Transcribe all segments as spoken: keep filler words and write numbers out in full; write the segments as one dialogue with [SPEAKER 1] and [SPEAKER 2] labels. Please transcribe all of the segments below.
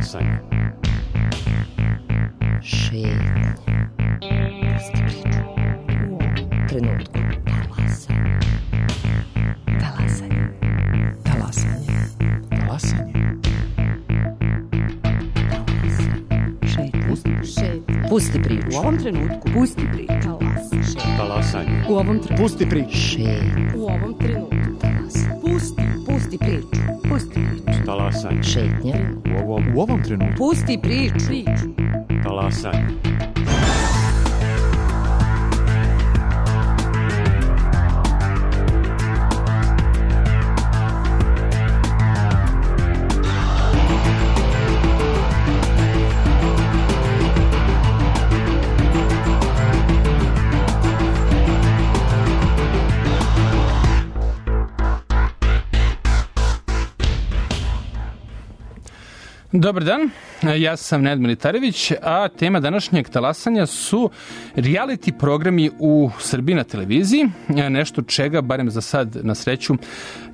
[SPEAKER 1] Talasanje.
[SPEAKER 2] Šetnje. Pusti priču. U ovom trenutku. Talasanje. Talasanje. Talasanje.
[SPEAKER 3] Talasanje.
[SPEAKER 2] Šetnje. Pusti priču.
[SPEAKER 4] U ovom trenutku. Pusti priču.
[SPEAKER 1] Talasanje.
[SPEAKER 4] U ovom trenutku.
[SPEAKER 3] Pusti priču.
[SPEAKER 2] Šetnje.
[SPEAKER 4] U ovom trenutku.
[SPEAKER 2] Talasanje.
[SPEAKER 4] Pusti. Pusti priču. Pusti priču.
[SPEAKER 1] Talasanje.
[SPEAKER 2] Šetnje.
[SPEAKER 1] U ovom,
[SPEAKER 3] U ovom trenutku.
[SPEAKER 4] Pusti priču. Priču.
[SPEAKER 1] talasanje.
[SPEAKER 5] Dobar dan, ja sam Nenad Militarević, a tema današnjeg talasanja su reality programi u Srbiji na televiziji, nešto čega, barem za sad na sreću,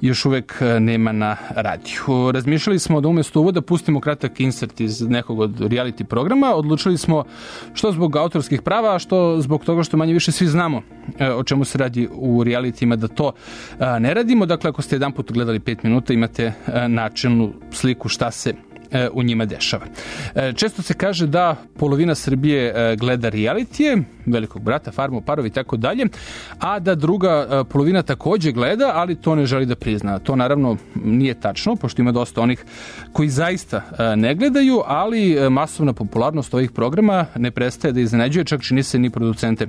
[SPEAKER 5] još uvek nema na radiju. Razmišljali smo da umjesto uvoda pustimo kratak insert iz nekog od reality programa, odlučili smo što zbog autorskih prava, a što zbog toga što manje više svi znamo o čemu se radi u realitima, da to ne radimo. Dakle, ako ste jedan put gledali pet minuta, imate načelnu sliku šta se u njima dešava. Često se kaže da polovina Srbije gleda realitije, Velikog brata, Farmu, Parovi i tako dalje, a da druga polovina takođe gleda, ali to ne želi da prizna. To naravno nije tačno, pošto ima dosta onih koji zaista ne gledaju, ali masovna popularnost ovih programa ne prestaje da iznenađuje, čak čini se ni producente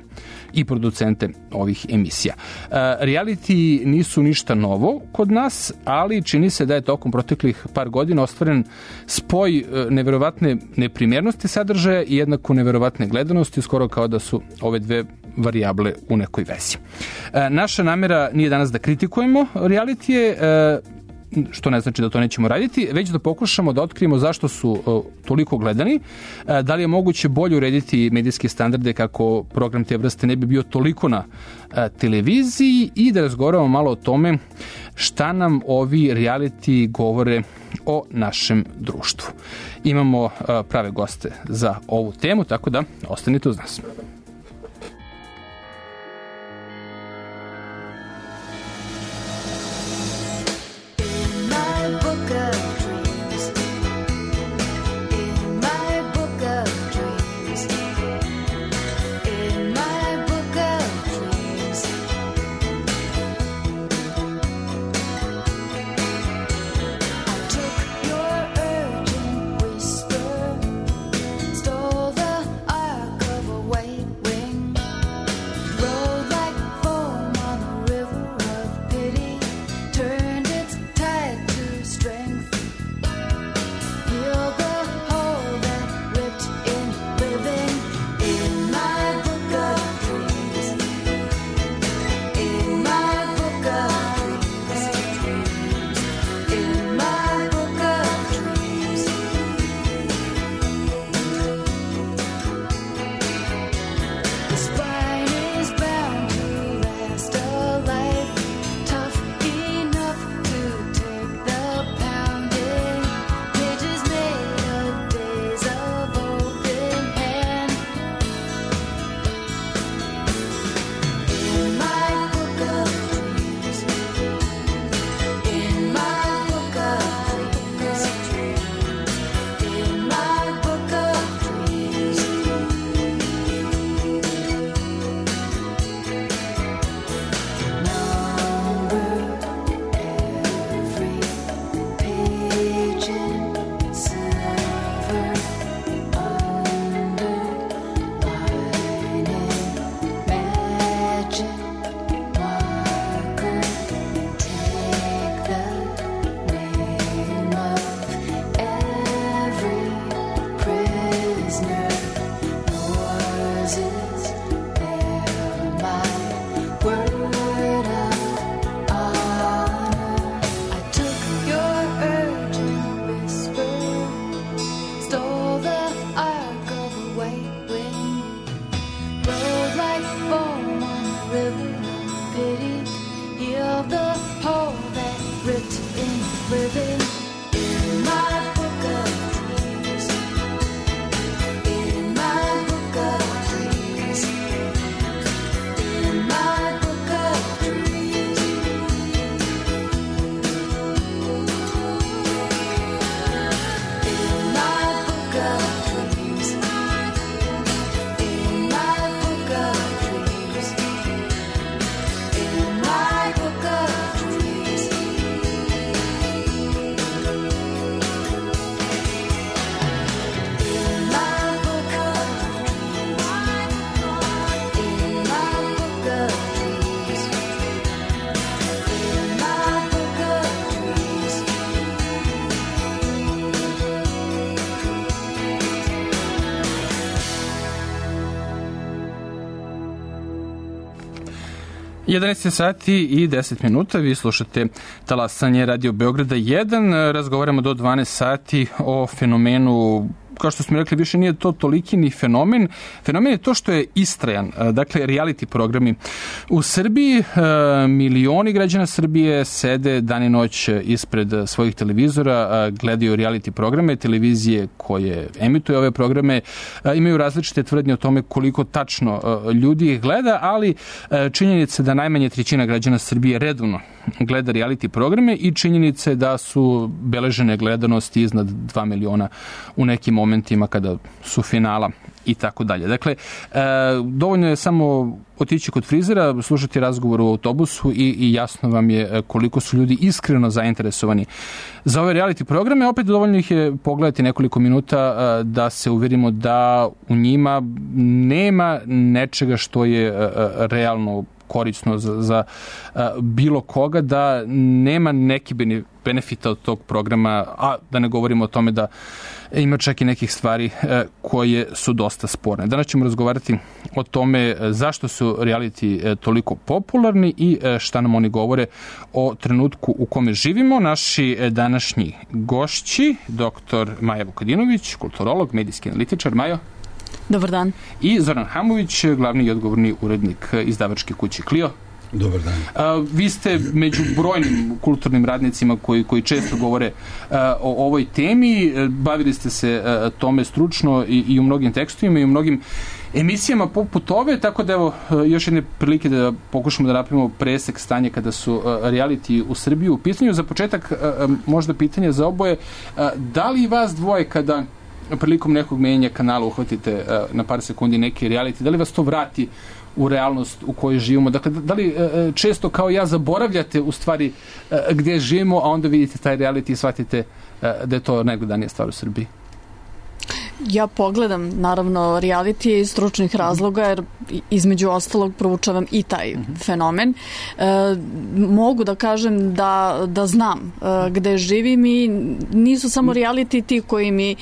[SPEAKER 5] i producente ovih emisija. Reality nisu ništa novo kod nas, ali čini se da je tokom proteklih par godina ostvaren spoj neverovatne neprimjernosti sadržaja i jednako neverovatne gledanosti, skoro kao da su ove dve varijable u nekoj vezi. Naša namera nije danas da kritikujemo realitije, što ne znači da to nećemo raditi, već da pokušamo da otkrijemo zašto su toliko gledani, da li je moguće bolje urediti medijske standarde kako program te vrste ne bi bio toliko na televiziji i da razgovaramo malo o tome šta nam ovi reality govore o našem društvu. Imamo prave goste za ovu temu, tako da ostanite uz nas.
[SPEAKER 6] Stole the ark of a wave.
[SPEAKER 5] jedanaest sati i deset minuta, vi slušate Talasanje Radio Beograda jedan, razgovaramo do dvanaest sati o fenomenu, kao što smo rekli, više nije to toliki ni fenomen. Fenomen je to što je istrajan. Dakle, reality programi u Srbiji, milioni građana Srbije sede dan i noć ispred svojih televizora, gledaju reality programe, televizije koje emituju ove programe, imaju različite tvrdnje o tome koliko tačno ljudi ih gleda, ali činjenica da najmanje trećina građana Srbije redovno gleda reality programe i činjenice da su beležene gledanosti iznad dva miliona u nekim momentima kada su finala i tako dalje. Dakle, e, dovoljno je samo otići kod frizera, slušati razgovor u autobusu i, i jasno vam je koliko su ljudi iskreno zainteresovani za ove reality programe. Opet dovoljno ih je pogledati nekoliko minuta e, da se uverimo da u njima nema nečega što je e, realno korisno za, za a, bilo koga, da nema neki benefita od tog programa, a da ne govorimo o tome da ima čak i nekih stvari a, koje su dosta sporne. Danas ćemo razgovarati o tome zašto su reality a, toliko popularni i a, šta nam oni govore o trenutku u kome živimo. Naši a, današnji gošći, doktor Maja Vukadinović, kulturolog, medijski analitičar. Majo.
[SPEAKER 3] Dobar dan.
[SPEAKER 5] I Zoran Hamović, glavni i odgovorni urednik izdavačke kuće Clio.
[SPEAKER 6] Dobar dan.
[SPEAKER 5] A, vi ste među brojnim kulturnim radnicima koji, koji često govore a, o ovoj temi. Bavili ste se a, tome stručno i, i u mnogim tekstovima i u mnogim emisijama poput ove, tako da evo još jedne prilike da pokušamo da napravimo presek stanja kada su reality u Srbiji u pitanju. Za početak možda pitanje za oboje. Da li vas dvoje kada prilikom nekog menjanja kanala uhvatite uh, na par sekundi neki reality, da li vas to vrati u realnost u kojoj živimo? Dakle, da li uh, često kao ja zaboravljate u stvari uh, gde živimo, a onda vidite taj reality i shvatite uh, da je to najgledanija stvar u Srbiji?
[SPEAKER 3] Ja pogledam, naravno, reality iz stručnih razloga, jer između ostalog proučavam i taj uh-huh. fenomen. E, mogu da kažem da, da znam e, gde živim i nisu samo reality ti koji mi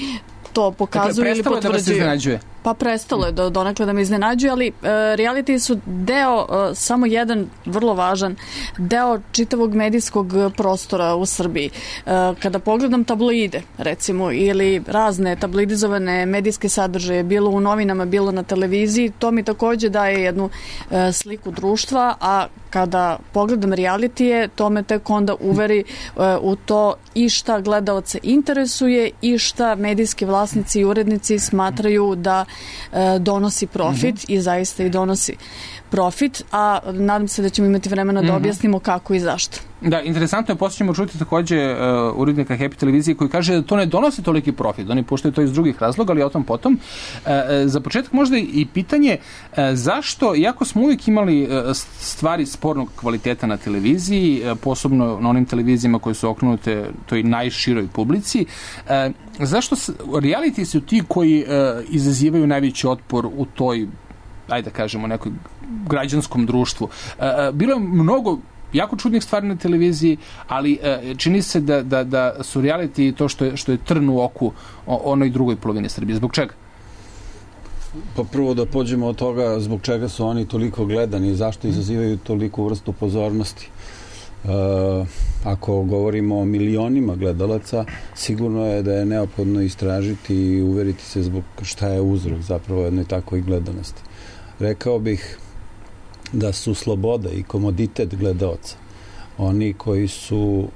[SPEAKER 3] to pokazuju
[SPEAKER 5] dakle,
[SPEAKER 3] ili potvrđuju.
[SPEAKER 5] Da vas iznenađuje?
[SPEAKER 3] Pa prestalo je do, donekle da me iznenađuje, ali e, reality su deo, e, samo jedan vrlo važan deo čitavog medijskog prostora u Srbiji. E, kada pogledam tabloide, recimo, ili razne tabloidizovane medijske sadržaje, bilo u novinama, bilo na televiziji, to mi takođe daje jednu e, sliku društva, a kada pogledam realitije, to me tek onda uveri e, u to i šta gledaoce interesuje i šta medijski vlasnici i urednici smatraju da donosi profit mm-hmm. i zaista i donosi profit, a nadam se da ćemo imati vremena da objasnimo kako i zašto.
[SPEAKER 5] Da, interesantno je, poslije ćemo čuti takođe uh, urednika Happy televizije koji kaže da to ne donosi toliki profit, oni puštaju to iz drugih razloga, ali o tom potom. Uh, za početak možda i pitanje uh, zašto, iako smo uvijek imali uh, stvari spornog kvaliteta na televiziji, uh, posebno na onim televizijama koje su okrenute toj najširoj publici, uh, zašto reality su ti koji uh, izazivaju najveći otpor u toj, ajde da kažemo, nekoj građanskom društvu? Uh, bilo je mnogo jako čudnih stvari na televiziji, ali uh, čini se da, da, da su reality to što je, što je trn u oku o onoj drugoj polovini Srbije. Zbog čega?
[SPEAKER 6] Pa prvo da pođemo od toga zbog čega su oni toliko gledani i zašto izazivaju toliku vrstu pozornosti. Uh, ako govorimo o milionima gledalaca, sigurno je da je neophodno istražiti i uveriti se zbog šta je uzrok zapravo jednoj takvoj gledanosti. Rekao bih da su sloboda i komoditet gledaoca oni koji su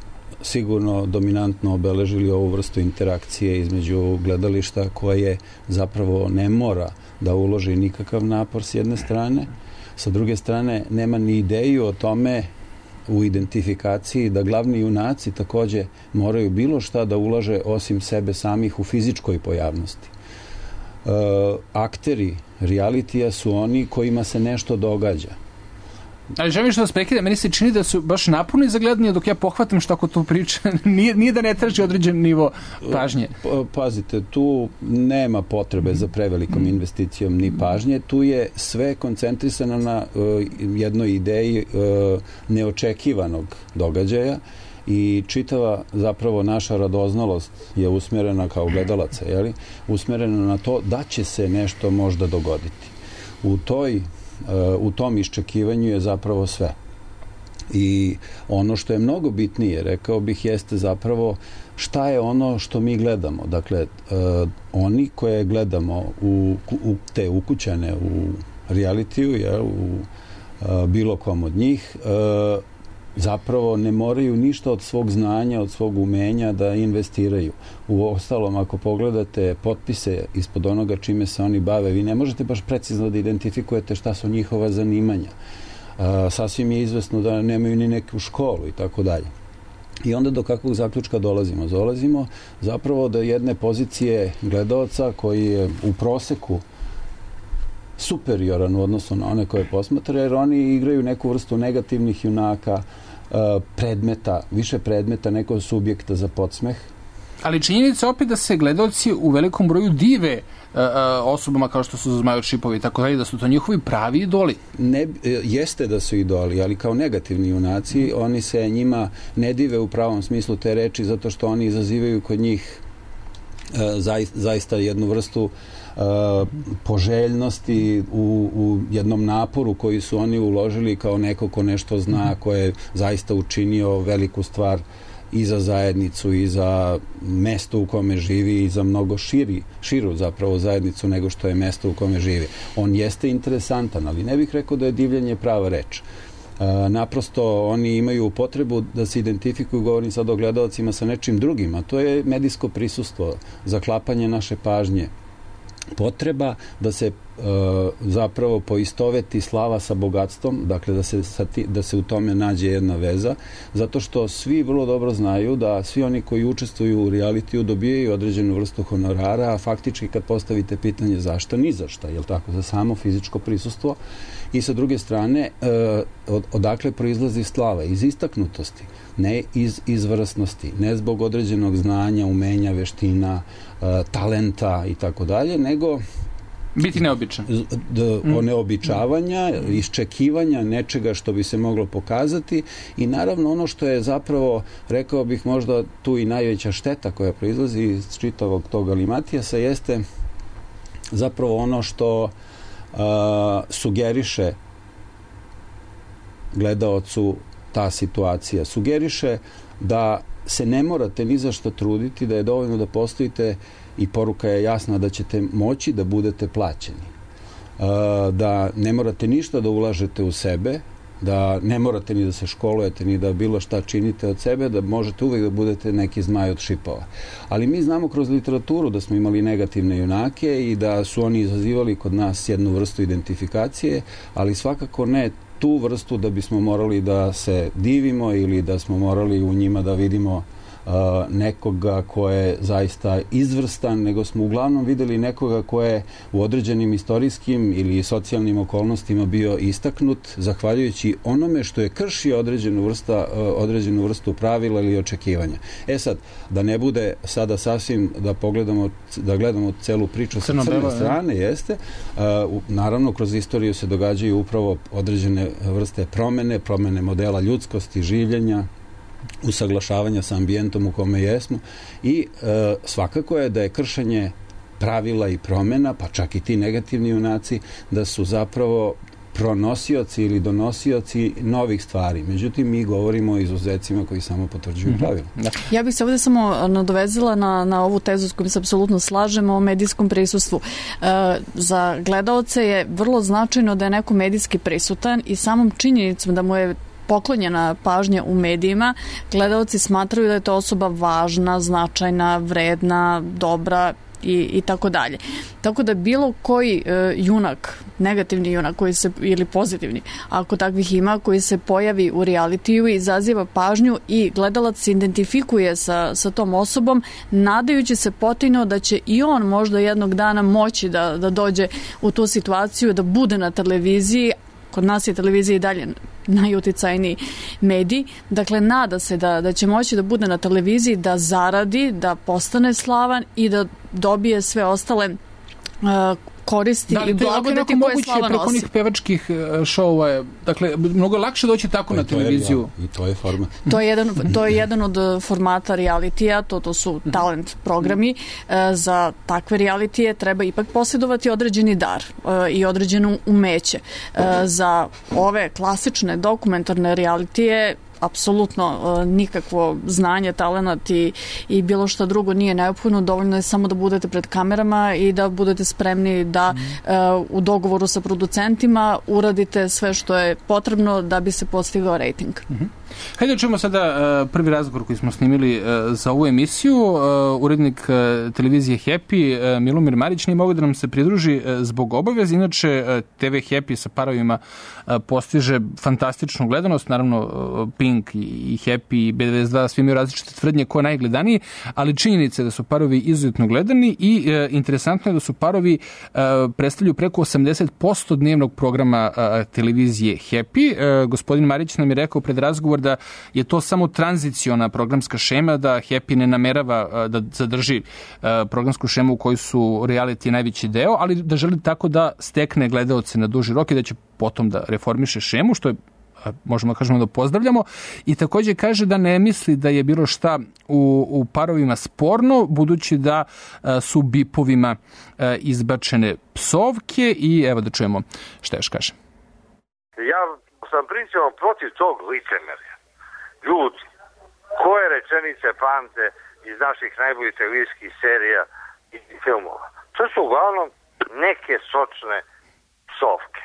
[SPEAKER 6] sigurno dominantno obeležili ovu vrstu interakcije između gledališta koje zapravo ne mora da uloži nikakav napor s jedne strane, sa druge strane nema ni ideju o tome u identifikaciji da glavni junaci takođe moraju bilo šta da ulaže osim sebe samih u fizičkoj pojavnosti. E, akteri realitija su oni kojima se nešto događa.
[SPEAKER 5] Ali želim što vas prekida, meni se čini da su baš naporni za gledanje, dok ja pohvatam što ako to priča, nije, nije da ne traži određen nivo pažnje.
[SPEAKER 6] Pazite, tu nema potrebe za prevelikom investicijom ni pažnje, tu je sve koncentrisano na uh, jednoj ideji uh, neočekivanog događaja i čitava zapravo naša radoznalost je usmjerena kao gledalaca, jeli? Usmjerena na to da će se nešto možda dogoditi. U toj u tom iščekivanju je zapravo sve. I ono što je mnogo bitnije, rekao bih, jeste zapravo šta je ono što mi gledamo. Dakle, uh, oni koje gledamo u, u te ukućane u realitiju, ja, u uh, bilo kom od njih, uh, zapravo ne moraju ništa od svog znanja, od svog umenja da investiraju. U ostalom, ako pogledate potpise ispod onoga čime se oni bave, vi ne možete baš precizno da identifikujete šta su njihova zanimanja. Uh, sasvim je izvesno da nemaju ni neku školu i tako dalje. I onda do kakvog zaključka dolazimo? Dolazimo zapravo do jedne pozicije gledaoca koji je u proseku superioran u odnosu na one koje posmatra, jer oni igraju neku vrstu negativnih junaka, predmeta, više predmeta, nekog subjekta za podsmeh.
[SPEAKER 5] Ali činjenica opet da se gledaoci u velikom broju dive uh, osobama kao što su Zmajo Šipovi i tako dalje, da su to njihovi pravi idoli. Ne,
[SPEAKER 6] jeste da su idoli, ali kao negativni junaci, oni se njima ne dive u pravom smislu te reči, zato što oni izazivaju kod njih uh, zaista, zaista jednu vrstu uh, poželjnosti u, u jednom naporu koji su oni uložili kao neko ko nešto zna, ko je zaista učinio veliku stvar i za zajednicu i za mesto u kome živi i za mnogo širi, širu zapravo zajednicu nego što je mesto u kome živi. On jeste interesantan, ali ne bih rekao da je divljenje prava reč. E, naprosto oni imaju potrebu da se identifikuju, govorim sad o gledalcima, sa nečim drugim, a to je medijsko prisustvo, zaklapanje naše pažnje, potreba da se e, zapravo poistoveti slava sa bogatstvom, dakle da se, sa ti, da se u tome nađe jedna veza, zato što svi vrlo dobro znaju da svi oni koji učestvuju u realitiju dobijaju određenu vrstu honorara, a faktički kad postavite pitanje zašto, ni za šta, jel tako, za samo fizičko prisustvo. I sa druge strane, e, od, odakle proizlazi slava? Iz istaknutosti, ne iz izvrsnosti, ne zbog određenog znanja, umenja, veština, e, talenta i tako dalje, nego
[SPEAKER 5] biti neobičan.
[SPEAKER 6] D, mm. Neobičavanja, iščekivanja nečega što bi se moglo pokazati i naravno ono što je zapravo, rekao bih možda tu i najveća šteta koja proizlazi iz čitavog tog galimatijasa jeste zapravo ono što Uh, sugeriše gledaocu ta situacija. Sugeriše da se ne morate ni za što truditi, da je dovoljno da postojite i poruka je jasna da ćete moći da budete plaćeni. Uh, da ne morate ništa da ulažete u sebe, da ne morate ni da se školujete, ni da bilo šta činite od sebe, da možete uvijek da budete neki Zmaj od Šipova. Ali mi znamo kroz literaturu da smo imali negativne junake i da su oni izazivali kod nas jednu vrstu identifikacije, ali svakako ne tu vrstu da bismo morali da se divimo ili da smo morali u njima da vidimo Uh, nekoga ko je zaista izvrstan, nego smo uglavnom videli nekoga ko je u određenim istorijskim ili socijalnim okolnostima bio istaknut zahvaljujući onome što je kršio određenu, vrsta, uh, određenu vrstu pravila ili očekivanja. E sad, da ne bude sada sasvim da pogledamo, da gledamo celu priču sa crne strane, jeste, uh, naravno kroz istoriju se događaju upravo određene vrste promene, promene modela ljudskosti, življenja, usaglašavanja sa ambijentom u kome jesmo i e, svakako je da je kršenje pravila i promena, pa čak i ti negativni junaci, da su zapravo pronosioci ili donosioci novih stvari. Međutim, mi govorimo o izuzecima koji samo potvrđuju pravila.
[SPEAKER 3] Mm-hmm. Ja bih se ovdje samo nadovezala na, na ovu tezu s kojom se apsolutno slažemo o medijskom prisustvu. E, za gledaoce je vrlo značajno da je neko medijski prisutan i samom činjenicom da mu je poklonjena pažnja u medijima, gledaoci smatraju da je to osoba važna, značajna, vredna, dobra i, i tako dalje. Tako da bilo koji e, junak, negativni junak koji se, ili pozitivni, ako takvih ima, koji se pojavi u realitiju i izaziva pažnju i gledalac se identifikuje sa, sa tom osobom, nadajući se potajno da će i on možda jednog dana moći da, da dođe u tu situaciju, da bude na televiziji. Kod nas je televizija i dalje najuticajniji medij. Dakle, nada se da, da će moći da bude na televiziji, da zaradi, da postane slavan i da dobije sve ostale uh, koristi
[SPEAKER 5] da,
[SPEAKER 3] i blagodati koje slava nosi.
[SPEAKER 5] Preko onih pevačkih šova, dakle, mnogo je lakše doći tako na televiziju.
[SPEAKER 6] I to je format.
[SPEAKER 3] To je jedan, to je jedan od formata realitija, to, to su talent programi. Za takve realitije treba ipak posjedovati određeni dar i određeno umeće. Za ove klasične dokumentarne realitije apsolutno nikakvo znanje, talenat i, i bilo šta drugo nije neophodno, dovoljno je samo da budete pred kamerama i da budete spremni da uh, u dogovoru sa producentima uradite sve što je potrebno da bi se postigao rejting.
[SPEAKER 5] Mm-hmm. Hajde da čujemo sada uh, prvi razgovor koji smo snimili uh, za ovu emisiju. Uh, urednik uh, televizije Happy, uh, Milomir Marić, nije mogao da nam se pridruži uh, zbog obaveza. Inače, uh, te ve Happy sa parovima uh, postiže fantastičnu gledanost. Naravno, uh, Pink i, i Happy i be devedeset dva svi imaju različite tvrdnje ko je najgledaniji, ali činjenica je da su parovi izuzetno gledani i uh, interesantno je da su parovi uh, predstavljaju preko osamdeset posto dnevnog programa uh, televizije Happy. Uh, gospodin Marić nam je rekao pred razgovor da je to samo tranziciona programska šema, da Happy ne namerava da zadrži programsku šemu u kojoj su reality najveći deo, ali da želi tako da stekne gledaoce na duži rok i da će potom da reformiše šemu, što je, možemo da kažemo da pozdravljamo, i takođe kaže da ne misli da je bilo šta u, u parovima sporno, budući da su bipovima izbačene psovke i evo da čujemo šta još kaže.
[SPEAKER 7] Ja sam principom protiv tog licemerja. Ljudi, koje rečenice pamte iz naših najboljih televizijskih serija i filmova? To su uglavnom neke sočne psovke,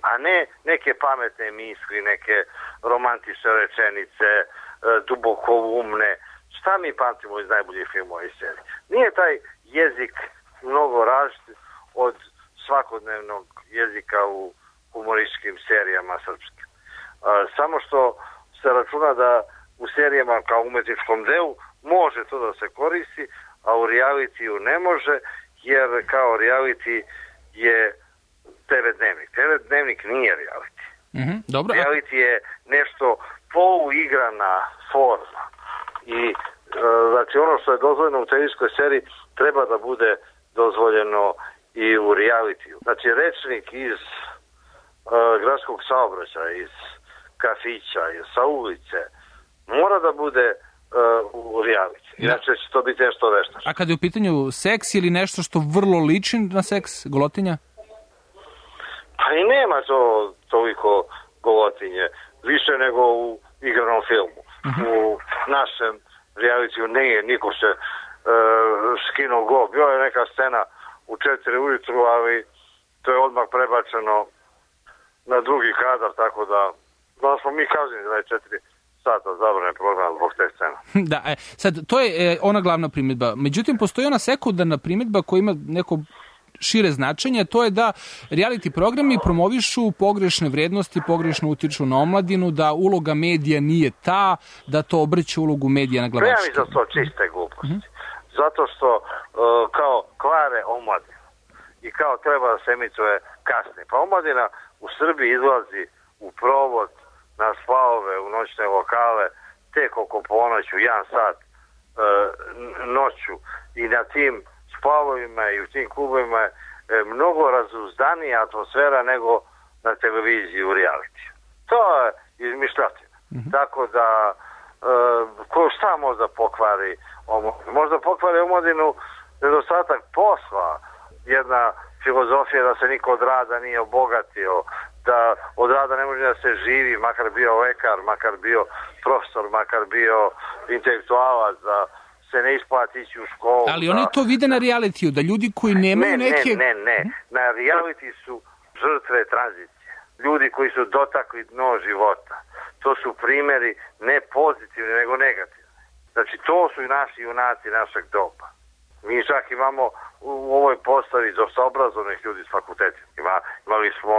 [SPEAKER 7] a ne neke pametne misli, neke romantične rečenice, duboko umne. Šta mi pamtimo iz najboljih filmova i serija? Nije taj jezik mnogo različit od svakodnevnog jezika u humorističkim serijama srpskim. Samo što se računa da u serijama kao umetničkom delu može to da se koristi, a u realitiju ne može, jer kao reality je te ve dnevnik. te ve dnevnik nije reality.
[SPEAKER 5] Mm-hmm, dobro.
[SPEAKER 7] Reality je nešto poluigrana forma. I e, znači ono što je dozvoljeno u televizijskoj seriji treba da bude dozvoljeno i u realitiju. Znači rečnik iz e, gradskog saobraćaja, iz kafića, sa ulice, mora da bude uh, u reality. Inače će to biti nešto veštaš.
[SPEAKER 5] A kada je u pitanju seks ili nešto što vrlo liči na seks, golotinja?
[SPEAKER 7] Pa i nema to toliko golotinje. Više nego u igranom filmu. Uh-huh. U našem realitiju nije, niko se uh, skinuo go. Bila je neka scena u četiri ujutru, ali to je odmah prebačeno na drugi kadar, tako da da smo mi kaženi da je četiri sata zabrane program zbog te scena.
[SPEAKER 5] Da, e, sad, to je e, ona glavna primjedba. Međutim, postoji ona sekundarna primjedba koja ima neko šire značenje, to je da reality programi promovišu pogrešne vrednosti, pogrešno utiču na omladinu, da uloga medija nije ta, da to obrće ulogu medija na glavačke.
[SPEAKER 7] Ja mi za to čiste gluposti. Uh-huh. Zato što uh, kao kvare omladinu i kao treba da se emituje kasnije. Pa omladina u Srbiji izlazi u provod na splavove, u noćne lokale, tek oko ponoću, jedan sat e, noću, i na tim splavovima i u tim klubovima je e, mnogo razuzdanija atmosfera nego na televiziji u realitiju. To je izmišljotina. Mm-hmm. Tako da e, ko šta možda pokvari omladinu? Možda pokvari omladinu nedostatak posla, jedna filozofija da se niko od rada nije obogatio, da od rada ne može da se živi, makar bio lekar, makar bio profesor, makar bio intelektualac, da se ne isplati ići u školu.
[SPEAKER 5] Ali oni
[SPEAKER 7] da,
[SPEAKER 5] to vide na realitiju, da ljudi koji nemaju
[SPEAKER 7] ne,
[SPEAKER 5] neke...
[SPEAKER 7] Ne, ne, ne. Na reality su žrtve tranzicije. Ljudi koji su dotakli dno života. To su primjeri ne pozitivni, nego negativni. Znači, to su i naši junaci našeg doba. Mi čak imamo u ovoj postavi dosta obrazovnih ljudi s fakultetima. Ima, imali smo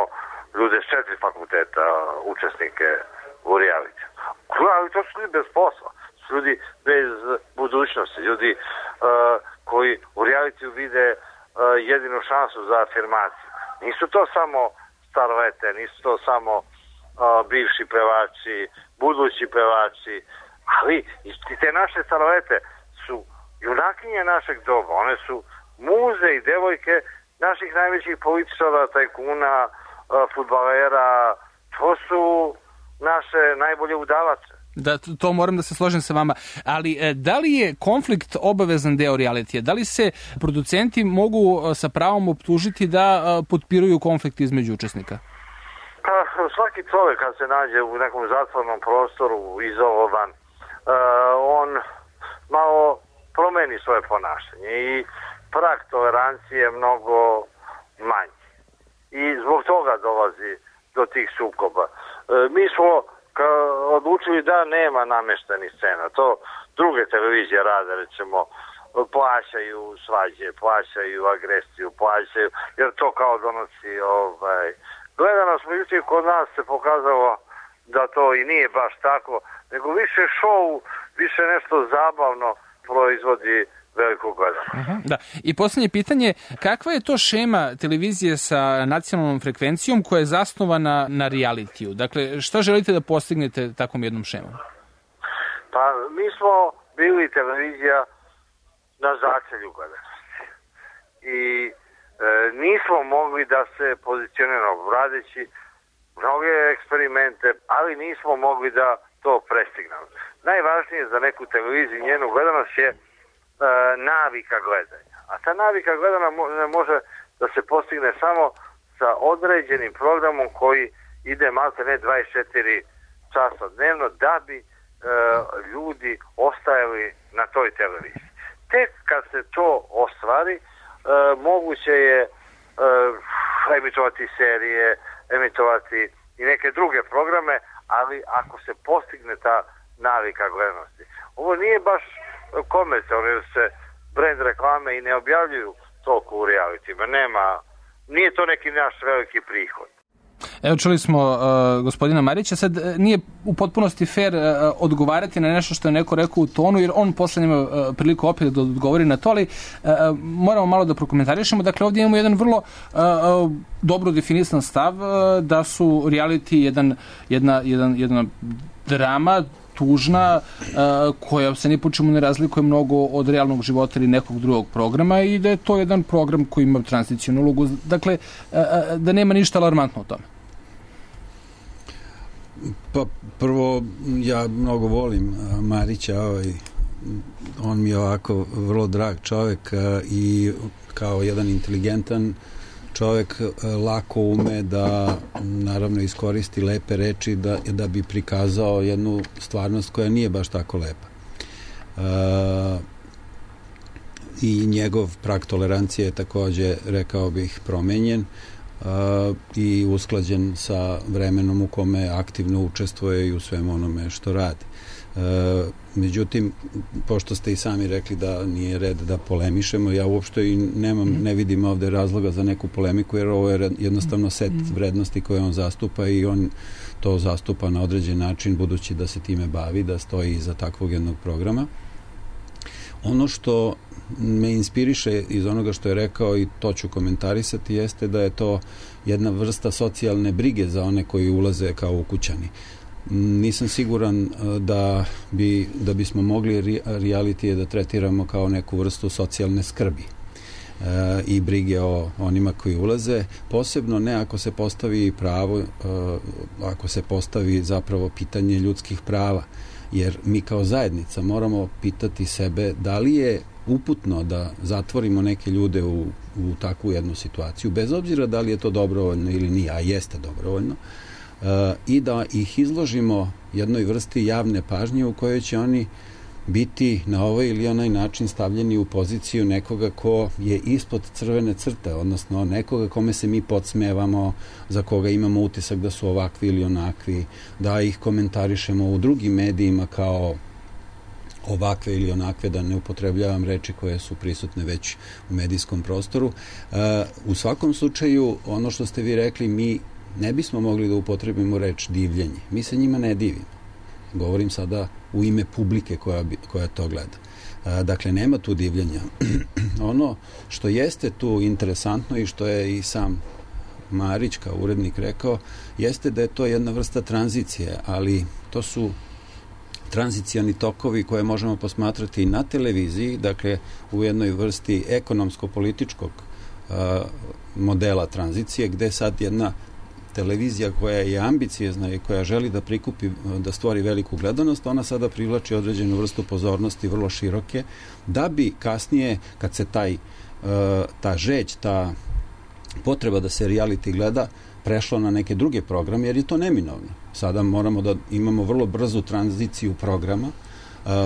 [SPEAKER 7] ljude s četiri fakulteta, učesnike u reality. Ali to su ljudi bez posla. Su ljudi bez budućnosti. Ljudi uh, koji u realitiju vide uh, jedinu šansu za afirmaciju. Nisu to samo starlete, nisu to samo uh, bivši pevači, budući pevači, ali i te naše starlete su junakinje našeg doba. One su muze i devojke naših najvećih političara, tajkuna, fudbalera, to su naše najbolje udavače.
[SPEAKER 5] Da, to moram da se složim sa vama. Ali da li je konflikt obavezan deo realitija? Da li se producenti mogu sa pravom optužiti da potpiruju konflikt između učesnika?
[SPEAKER 7] Pa, svaki čovjek kad se nađe u nekom zatvornom prostoru, izolovan, on malo promeni svoje ponašanje i prag tolerancije je mnogo manji. I zbog toga dolazi do tih sukoba. Mi smo odlučili da nema nameštenih scena. To druge televizije rade, recimo, plaćaju svađe, plaćaju agresiju, plaćaju, jer to kao donosi ovaj, gledanost. Međutim, kod nas se pokazalo da to i nije baš tako, nego više šou, više nešto zabavno proizvodi veliko gledanje.
[SPEAKER 5] Uh-huh, da. I posljednje pitanje, kakva je to šema televizije sa nacionalnom frekvencijom koja je zasnovana na realitiju? Dakle, šta želite da postignete takvom jednom šemom?
[SPEAKER 7] Pa, mi smo bili televizija na začelju gledanosti. I e, nismo mogli da se pozicioniramo radeći mnoge eksperimente, ali nismo mogli da to prestignemo. Najvažnije za neku televiziju i njenu gledanost je navika gledanja. A ta navika gledanja može da se postigne samo sa određenim programom koji ide malte ne dvadeset četiri časa dnevno da bi e, ljudi ostajali na toj televiziji. Tek kad se to ostvari, e, moguće je e, emitovati serije, emitovati i neke druge programe, ali ako se postigne ta navika gledanosti. Ovo nije baš komercijalno, jer se brand reklame i ne objavljuju toliko u realitima. Nema, nije to neki naš veliki prihod.
[SPEAKER 5] Evo, čuli smo uh, gospodina Marića, sad nije u potpunosti fair uh, odgovarati na nešto što je neko rekao u tonu, jer on posle ima uh, priliku opet da odgovori na to, ali uh, moramo malo da prokomentarišemo. Dakle, ovdje imamo jedan vrlo uh, uh, dobro definisan stav uh, da su reality jedan, jedna, jedan, jedna drama, tužna, koja se ni po čemu ne razlikuje mnogo od realnog života ili nekog drugog programa i da je to jedan program koji ima tranzicijnu ulogu. Dakle, da nema ništa alarmantno u tome.
[SPEAKER 6] Pa prvo, ja mnogo volim Marića, ovaj, on mi je ovako vrlo drag čovjek i kao jedan inteligentan čovjek lako ume da naravno iskoristi lepe reči da, da bi prikazao jednu stvarnost koja nije baš tako lepa. E, I njegov prag tolerancije je također, rekao bih, promenjen e, i usklađen sa vremenom u kome aktivno učestvuje i u svemu onome što radi. E, međutim, pošto ste i sami rekli da nije red da polemišemo, ja uopšte i nemam, ne vidim ovde razloga za neku polemiku, jer ovo je jednostavno set vrednosti koje on zastupa i on to zastupa na određen način, budući da se time bavi, da stoji iza takvog jednog programa. Ono što me inspiriše iz onoga što je rekao, i to ću komentarisati, jeste da je to jedna vrsta socijalne brige za one koji ulaze kao ukućani. Nisam siguran da bi da bismo mogli realitije da tretiramo kao neku vrstu socijalne skrbi e, i brige o onima koji ulaze, posebno ne ako se postavi pravo, e, ako se postavi zapravo pitanje ljudskih prava, jer mi kao zajednica moramo pitati sebe da li je uputno da zatvorimo neke ljude u, u takvu jednu situaciju, bez obzira da li je to dobrovoljno ili nije, a jeste dobrovoljno, Uh, i da ih izložimo jednoj vrsti javne pažnje u kojoj će oni biti na ovaj ili onaj način stavljeni u poziciju nekoga ko je ispod crvene crte, odnosno nekoga kome se mi podsmevamo, za koga imamo utisak da su ovakvi ili onakvi, da ih komentarišemo u drugim medijima kao ovakve ili onakve, da ne upotrebljavam reči koje su prisutne već u medijskom prostoru. Uh, u svakom slučaju, ono što ste vi rekli, mi ne bismo mogli da upotrebimo reč divljenje. Mi se njima ne divimo. Govorim sada u ime publike koja, koja to gleda. A, dakle, nema tu divljenja. Ono što jeste tu interesantno i što je i sam Marić kao urednik rekao, jeste da je to jedna vrsta tranzicije, ali to su tranzicijani tokovi koje možemo posmatrati i na televiziji, dakle u jednoj vrsti ekonomsko-političkog modela tranzicije, gde sad jedna televizija koja je ambiciozna i koja želi da prikupi, da stvori veliku gledanost, ona sada privlači određenu vrstu pozornosti, vrlo široke, da bi kasnije, kad se taj, ta žeć, ta potreba da se reality gleda, prešlo na neke druge programe, jer je to neminovno. Sada moramo da imamo vrlo brzu tranziciju programa,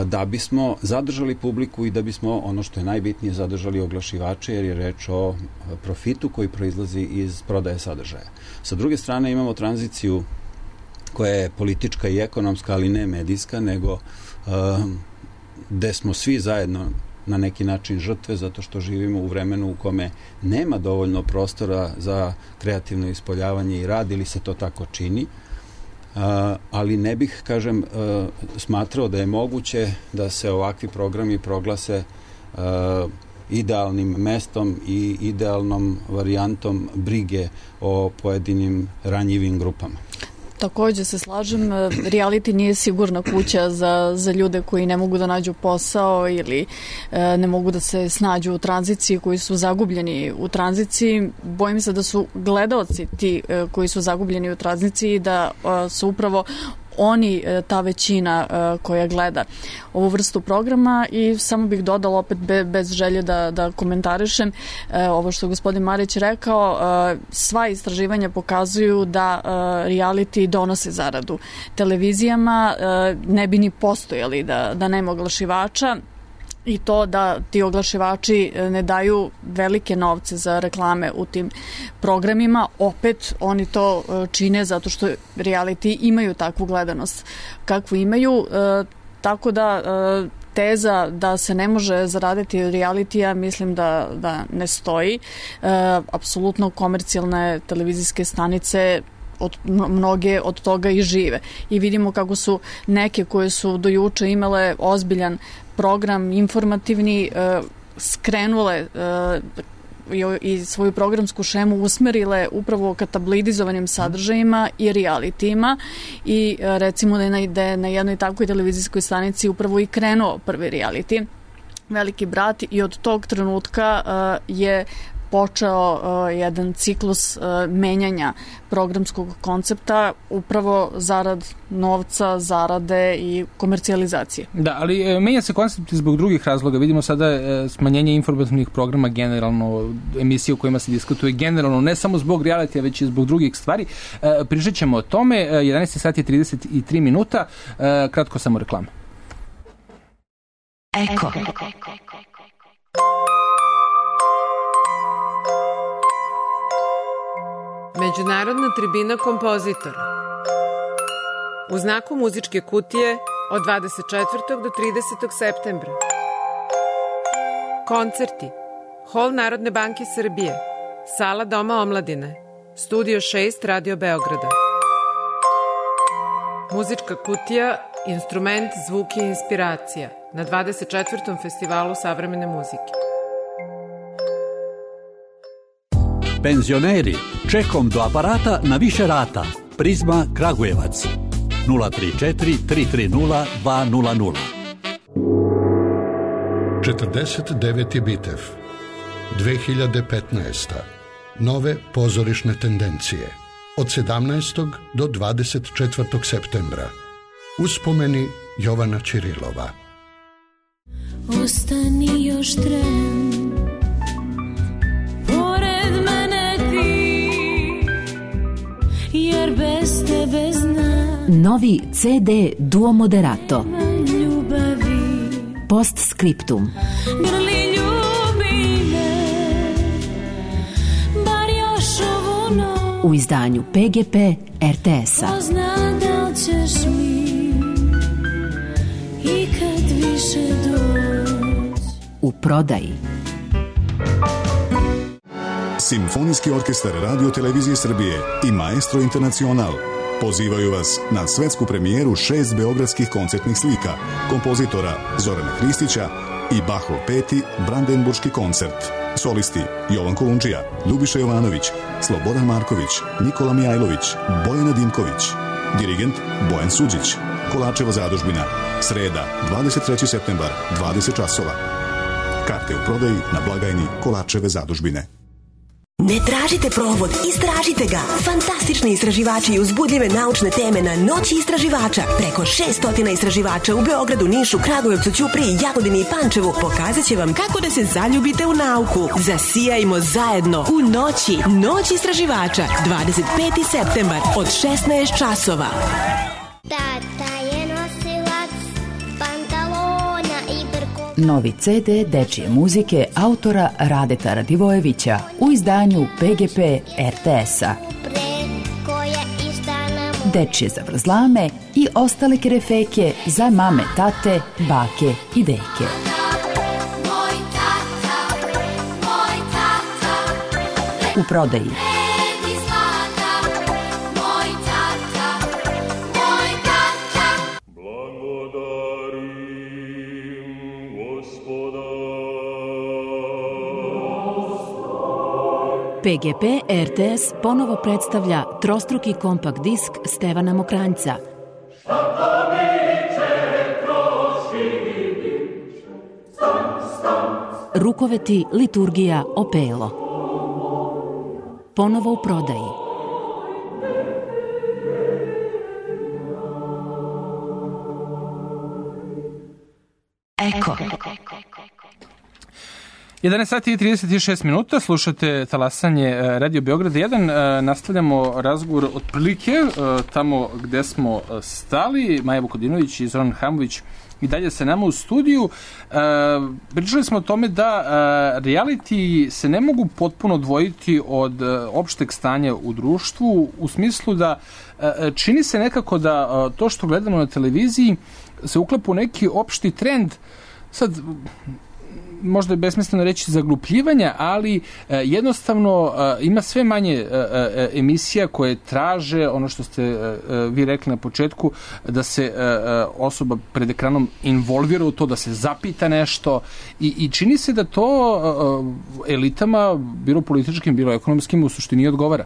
[SPEAKER 6] da bismo zadržali publiku i da bismo, ono što je najbitnije, zadržali oglašivače, jer je reč o profitu koji proizlazi iz prodaje sadržaja. Sa druge strane imamo tranziciju koja je politička i ekonomska, ali ne medijska, nego gde smo svi zajedno na neki način žrtve, zato što živimo u vremenu u kome nema dovoljno prostora za kreativno ispoljavanje i rad, ili se to tako čini. Uh, ali ne bih, kažem, uh, smatrao da je moguće da se ovakvi programi proglase uh, idealnim mestom i idealnom varijantom brige o pojedinim ranjivim grupama.
[SPEAKER 3] Takođe se slažem, reality nije sigurna kuća za, za ljude koji ne mogu da nađu posao ili e, ne mogu da se snađu u tranziciji, koji su zagubljeni u tranziciji. Bojim se da su gledaoci ti e, koji su zagubljeni u tranziciji, da e, su upravo oni, ta većina koja gleda ovu vrstu programa. I samo bih dodala opet be, bez želje da, da komentarišem ovo što je gospodin Marić rekao, sva istraživanja pokazuju da reality donose zaradu televizijama, ne bi ni postojali da, da nema oglašivača. I to da ti oglašivači ne daju velike novce za reklame u tim programima, opet oni to čine zato što reality imaju takvu gledanost kakvu imaju, e, tako da e, teza da se ne može zaraditi od realitija mislim da, da ne stoji. E, apsolutno komercijalne televizijske stanice od, mnoge od toga i žive. I vidimo kako su neke koje su do juče imale ozbiljan program informativni, skrenule i svoju programsku šemu usmerile upravo ka tabloidizovanim sadržajima i realitijima, i recimo da je na, na jednoj takvoj televizijskoj stanici upravo i krenuo prvi reality, Veliki brat, i od tog trenutka je počeo uh, jedan ciklus uh, menjanja programskog koncepta upravo zarad novca, zarade i komercijalizacije.
[SPEAKER 5] Da, ali e, menja se koncept zbog drugih razloga. Vidimo sada e, smanjenje informativnih programa generalno, emisije u kojima se diskutuje generalno, ne samo zbog realitija, već i zbog drugih stvari. E, pričat ćemo o tome. jedanaest sati i trideset tri minuta. E, kratko samo reklama.
[SPEAKER 2] Eko.
[SPEAKER 8] Međunarodna tribina kompozitora. U znaku muzičke kutije od dvadeset četvrtog do tridesetog septembra. Koncerti. Hol Narodne banke Srbije. Sala Doma omladine. Studio šest Radio Beograda. Muzička kutija, instrument, zvuk i inspiracija na dvadeset četvrtom festivalu savremene muzike.
[SPEAKER 9] Penzioneri, čekom do aparata na više rata. Prizma Kragujevac. nula tri četiri tri tri nula dva nula nula.
[SPEAKER 10] četrdeset deveti Bitev. dve hiljade petnaesta. Nove pozorišne tendencije. Od sedamnaestog do dvadeset četvrtog septembra. Uspomeni Jovana Ćirilova.
[SPEAKER 11] Ostani još tren, pored mene ti, jer bez tebe znam.
[SPEAKER 2] Novi ce de Duo Moderato.
[SPEAKER 11] Ljubavi.
[SPEAKER 2] Postscriptum.
[SPEAKER 11] Grli ljubi me, bar još ovu noć.
[SPEAKER 2] U izdanju pe ge pe er te es-a.
[SPEAKER 11] Ko zna da li ćeš mi i kad više doći.
[SPEAKER 2] U prodaji.
[SPEAKER 12] Simfonijski orkestar Radio Televizije Srbije i Maestro Internacional pozivaju vas na svetsku premijeru šest beogradskih koncertnih slika kompozitora Zorana Hristića i Bachov peti Brandenburški koncert. Solisti Jovan Kolundžija, Ljubiša Jovanović, Slobodan Marković, Nikola Mijajlović, Bojana Dimković. Dirigent Bojan Suđić. Kolačeva zadužbina. Sreda, dvadeset treći septembar, dvadeset časova. Karte u prodaji na blagajni Kolačeve zadužbine.
[SPEAKER 13] Ne tražite provod, istražite ga. Fantastični istraživači i uzbudljive naučne teme na Noći istraživača. Preko šest stotina istraživača u Beogradu, Nišu, Kragujevcu, Ćupriji, Jagodini i Pančevu pokazat će vam kako da se zaljubite u nauku. Zasijajmo zajedno u Noći. Noć istraživača. dvadeset peti septembar od šesnaest časova.
[SPEAKER 11] Tata je nosilac pantalona i brko.
[SPEAKER 2] Novi ce de dečije muzike autora Radeta Radivojevića u izdanju pe ge pe er te es-a. Dečije zavrzlame i ostale kerefeke za mame, tate, bake i deke. U prodaji. pe ge pe er te es ponovo predstavlja trostruki kompakt disk Stevana Mokranjca. Rukoveti, liturgija, opelo. Ponovo u prodaji. Eko.
[SPEAKER 5] jedanaest sati i trideset šest minuta, slušate talasanje Radio Beograda jedan. Nastavljamo razgovor otprilike tamo gde smo stali. Maja Vukodinović i Zoran Hamović i dalje sa nama u studiju. Pričali smo o tome da reality se ne mogu potpuno odvojiti od opšteg stanja u društvu, u smislu da čini se nekako da to što gledamo na televiziji se uklapa u neki opšti trend. Sad, možda je besmisleno reći zaglupljivanja, ali e, jednostavno e, ima sve manje e, e, emisija koje traže, ono što ste e, vi rekli na početku, da se e, osoba pred ekranom involvira u to, da se zapita nešto i, i čini se da to e, elitama, bilo političkim, bilo ekonomskim, u suštini odgovara.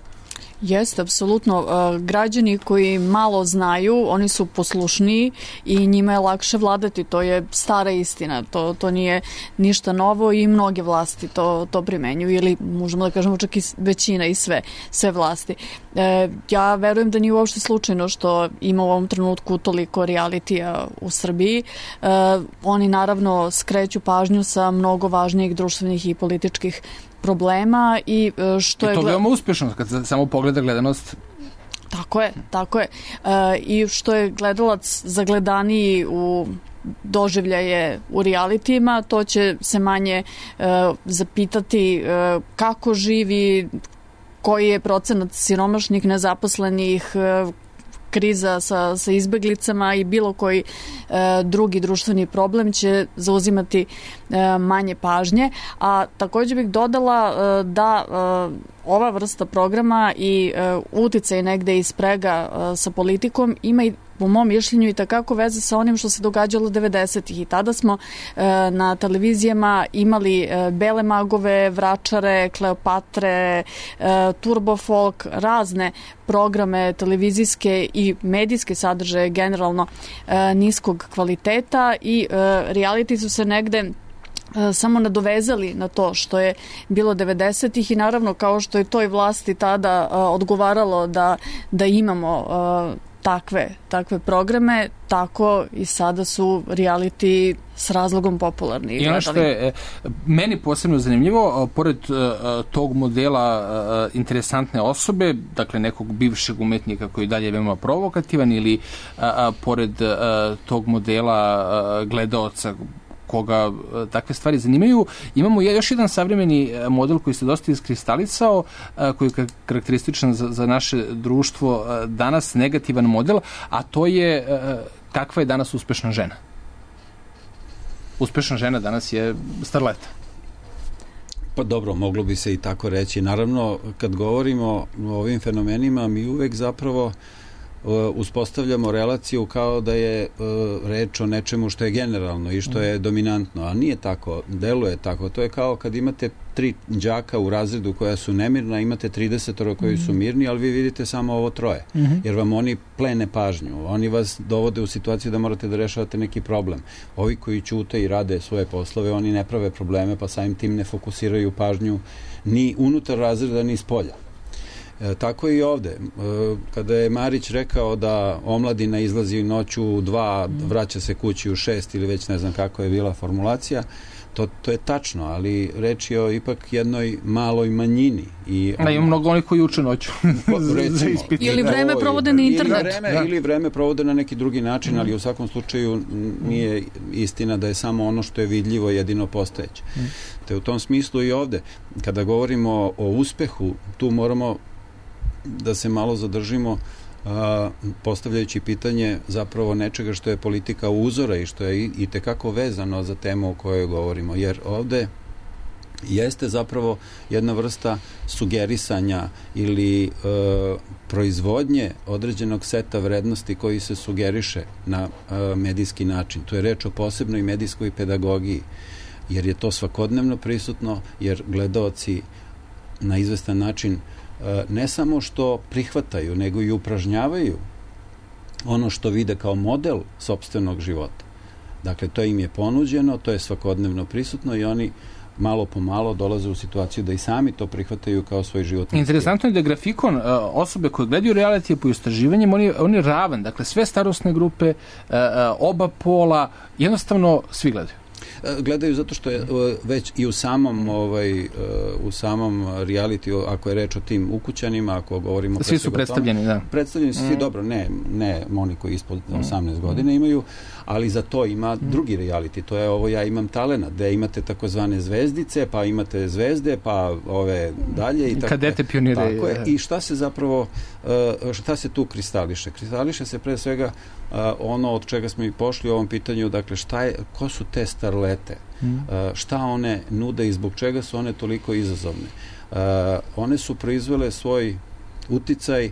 [SPEAKER 3] Jeste, apsolutno. Građani koji malo znaju, oni su poslušniji i njima je lakše vladati. To je stara istina. To, to nije ništa novo i mnoge vlasti to, to primenjuju ili možemo da kažemo čak i većina i sve, sve vlasti. E, ja verujem da nije uopšte slučajno što ima u ovom trenutku toliko realitija u Srbiji. E, oni naravno skreću pažnju sa mnogo važnijih društvenih i političkih problema i što je...
[SPEAKER 5] I to veoma uspešno, kad samo pogleda gledanost.
[SPEAKER 3] Tako je, tako je. E, I što je gledalac zagledaniji u doživljaje u realitijima, to će se manje e, zapitati e, kako živi, koji je procenat siromašnih, nezaposlenih, e, kriza sa, sa izbeglicama i bilo koji e, drugi društveni problem će zauzimati e, manje pažnje. A također bih dodala e, da e, ova vrsta programa i e, uticaj negde iz sprega e, sa politikom ima i po mom mišljenju i takako veze sa onim što se događalo devedesetih i tada smo e, na televizijama imali e, Bele magove, Vračare, Kleopatre, e, Turbo folk, razne programe televizijske i medijske sadržaje generalno e, niskog kvaliteta i e, reality su se negde samo nadovezali na to što je bilo devedesetih i naravno kao što je toj vlasti tada uh, odgovaralo da, da imamo uh, takve, takve programe, tako i sada su reality s razlogom popularni.
[SPEAKER 5] I ono što je meni posebno zanimljivo, pored uh, tog modela uh, interesantne osobe, dakle nekog bivšeg umetnika koji dalje je veoma provokativan ili uh, uh, pored uh, tog modela uh, gledaoca koga takve stvari zanimaju. Imamo još jedan savremeni model koji se dosta iskristalisao, koji je karakterističan za, za naše društvo danas, negativan model, a to je kakva je danas uspešna žena. Uspešna žena danas je starleta.
[SPEAKER 6] Pa dobro, moglo bi se i tako reći. Naravno, kad govorimo o ovim fenomenima, mi uvek zapravo uspostavljamo relaciju kao da je reč o nečemu što je generalno i što je dominantno, a nije tako, deluje tako. To je kao kad imate tri đaka u razredu koja su nemirna, imate tridesetoro koji su mirni, ali vi vidite samo ovo troje, jer vam oni plene pažnju, oni vas dovode u situaciju da morate da rešavate neki problem. Ovi koji ćute i rade svoje poslove, oni ne prave probleme, pa samim tim ne fokusiraju pažnju ni unutar razreda, ni spolja. E, tako i ovde. E, kada je Marić rekao da omladina izlazi noću u dva, vraća se kući u šest ili već ne znam kako je bila formulacija, to, to je tačno, ali reč je o ipak jednoj maloj manjini. I
[SPEAKER 5] on... Da, ima mnogo onih koji uče noću.
[SPEAKER 3] Recimo, ili vreme provode na internet.
[SPEAKER 6] Ili vreme, da. ili vreme provode na neki drugi način, ali u svakom slučaju nije istina da je samo ono što je vidljivo jedino postojeće. Te u tom smislu i ovde, kada govorimo o uspehu, tu moramo da se malo zadržimo a, postavljajući pitanje zapravo nečega što je politika uzora i što je i, i tekako vezano za temu o kojoj govorimo, jer ovde jeste zapravo jedna vrsta sugerisanja ili e, proizvodnje određenog seta vrednosti koji se sugeriše na e, medijski način. To je reč o posebnoj medijskoj pedagogiji, jer je to svakodnevno prisutno, jer gledaoci na izvestan način ne samo što prihvataju, nego i upražnjavaju ono što vide kao model sopstvenog života. Dakle, to im je ponuđeno, to je svakodnevno prisutno i oni malo po malo dolaze u situaciju da i sami to prihvataju kao svoj životni.
[SPEAKER 5] Interesantno je da grafikon osobe koje gledaju reality po istraživanjem, on je, on je ravan. Dakle, sve starosne grupe, oba pola, jednostavno svi gledaju.
[SPEAKER 6] Gledaju zato što je već i u samom ovaj u samom reality, ako je reč o tim ukućanima, ako govorimo
[SPEAKER 5] svi su predstavljeni, da.
[SPEAKER 6] Predstavljeni su svi, mm. dobro, ne, ne oni koji ispod osamnaest mm. godina imaju, ali za to ima mm. drugi reality, to je ovo Ja imam talena, gde imate takozvane zvezdice, pa imate zvezde, pa ove dalje i tako.
[SPEAKER 5] Kadete pionire.
[SPEAKER 6] Tako je. I šta se zapravo šta se tu kristališe? Kristališe se pre svega ono od čega smo i pošli u ovom pitanju, dakle šta je, ko su te starlete, mm. šta one nude i zbog čega su one toliko izazovne. One su proizvele svoj uticaj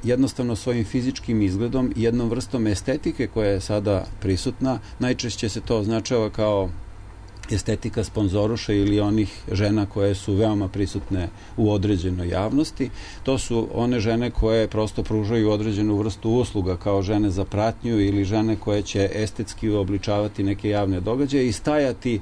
[SPEAKER 6] jednostavno svojim fizičkim izgledom i jednom vrstom estetike koja je sada prisutna. Najčešće se to označava kao estetika sponzoruša ili onih žena koje su veoma prisutne u određenoj javnosti. To su one žene koje prosto pružaju određenu vrstu usluga kao žene za pratnju ili žene koje će estetski obličavati neke javne događaje i stajati